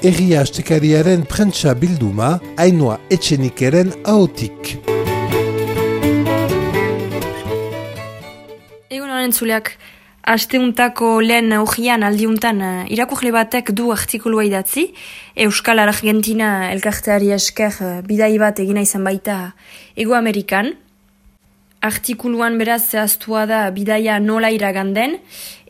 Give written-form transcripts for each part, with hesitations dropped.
Egia astekariaren prentsa bilduma, Ainhoa Etxenikeren ahotik. Egun honen zuleak, asteuntako lehen hogian aldiuntan irakurle batek du artikulua idatzi, Euskal Argentina elkarteari esker bidai bat egina izan baita Ego Amerikan. Artikuluan beraz zehaztua da bidaia nola iraganden,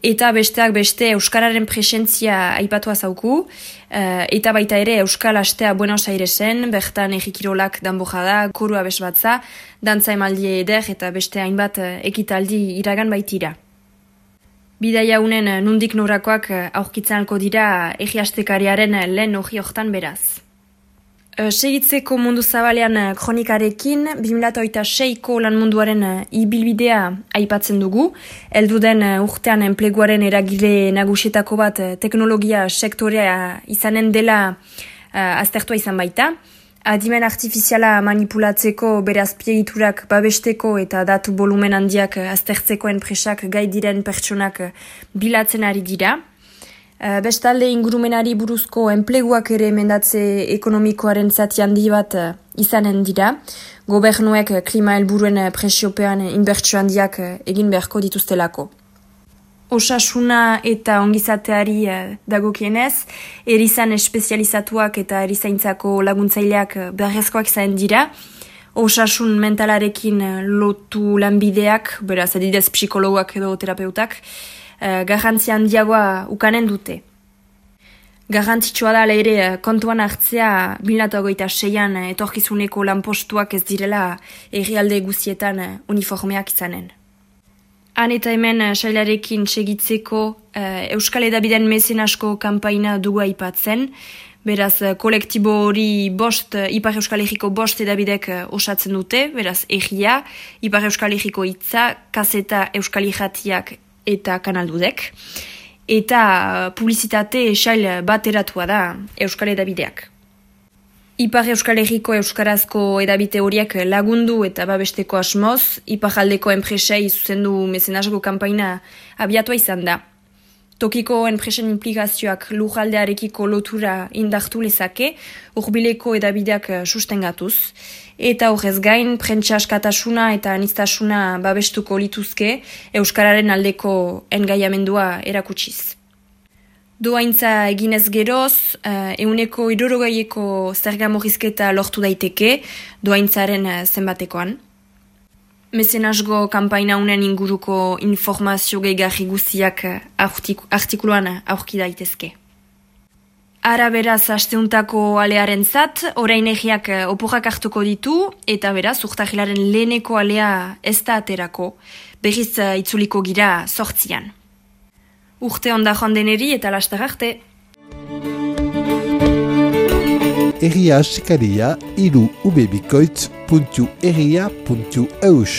eta besteak beste Euskararen presentzia aipatua zauku, eta baita ere Euskal Astea Buenos Airesen, bertan egikirolak danbojada, koru abesbatza, dantza emaldie eder eta beste hainbat ekitaldi iragan baitira. Bidaia unen nundik norakoak aurkitzanko dira egiastekariaren lehen hogi hortan beraz. Segitzeko mundu zabalean kronikarekin, 2006ko lan munduaren ibilbidea aipatzen dugu. Heldu den urtean enpleguaren eragile nagusietako bat teknologia sektorea izanen dela aztertua izan baita. Adimen artifiziala manipulatzeko bere azpiegiturak babesteko eta datu volumen handiak aztertzeko enpresak gai diren pertsonak bilatzen ari dira. Bestalde ingurumenari buruzko enpleguak ere mendatze ekonomikoaren zati handi bat izanen dira. Gobernuek klima helburuen presiopean inbertsio handiak egin beharko dituztelako. Osasuna eta ongizateari dagokienez, erizan espezializatuak eta erizaintzako laguntzaileak beharrezkoak izan dira. Osasun mentalarekin lotu lanbideak, beraz adidez psikologoak edo terapeutak, garrantzi handiagoa ukanen dute. Garrantzitsua da ere kontuan hartzea 2026an etorkizuneko lanpostuak ez direla herrialde guztietan uniformeak izanen. Han eta hemen sailarekin segitzeko Euskal Hedabideen mezenasko kanpaina dugu aipatzen, beraz kolektibo hori Ipar Euskal Herriko 5 hedabidek osatzen dute, beraz egia, Ipar Euskal Herriko hitza, Kazeta Euskal Irratiak eta kanaldudek, eta publizitate sail bateratua da Euskal Hedabideak. Ipar Euskal Herriko euskarazko edabite horiek lagundu eta babesteko asmoz, iparaldeko enpresei zuzendu mezenasgo kanpaina abiatua izan da. Tokiko enpresen implikazioak lujaldearekiko lotura indartu lezake, hurbileko edabideak sustengatuz, eta horrez gain, prentsa askatasuna eta aniztasuna babestuko lituzke Euskararen aldeko engaiamendua erakutsiz. Doaintza eginez geroz, 160eko zerga murrizketa lortu daiteke, doaintzaren zenbatekoan. Mezenasgo kanpaina unen inguruko informazio gehigarri guztiak artikuluan aurki daitezke. Ara beraz asteuntako alearen zat, orain egiak oporrak hartuko ditu, eta beraz urtahilaren leheneko alea ez da aterako, berriz itzuliko gira 8an. Urte onda joan deneri eta lastar arte. Egia asekaria 3ubebikoitz.egia.eus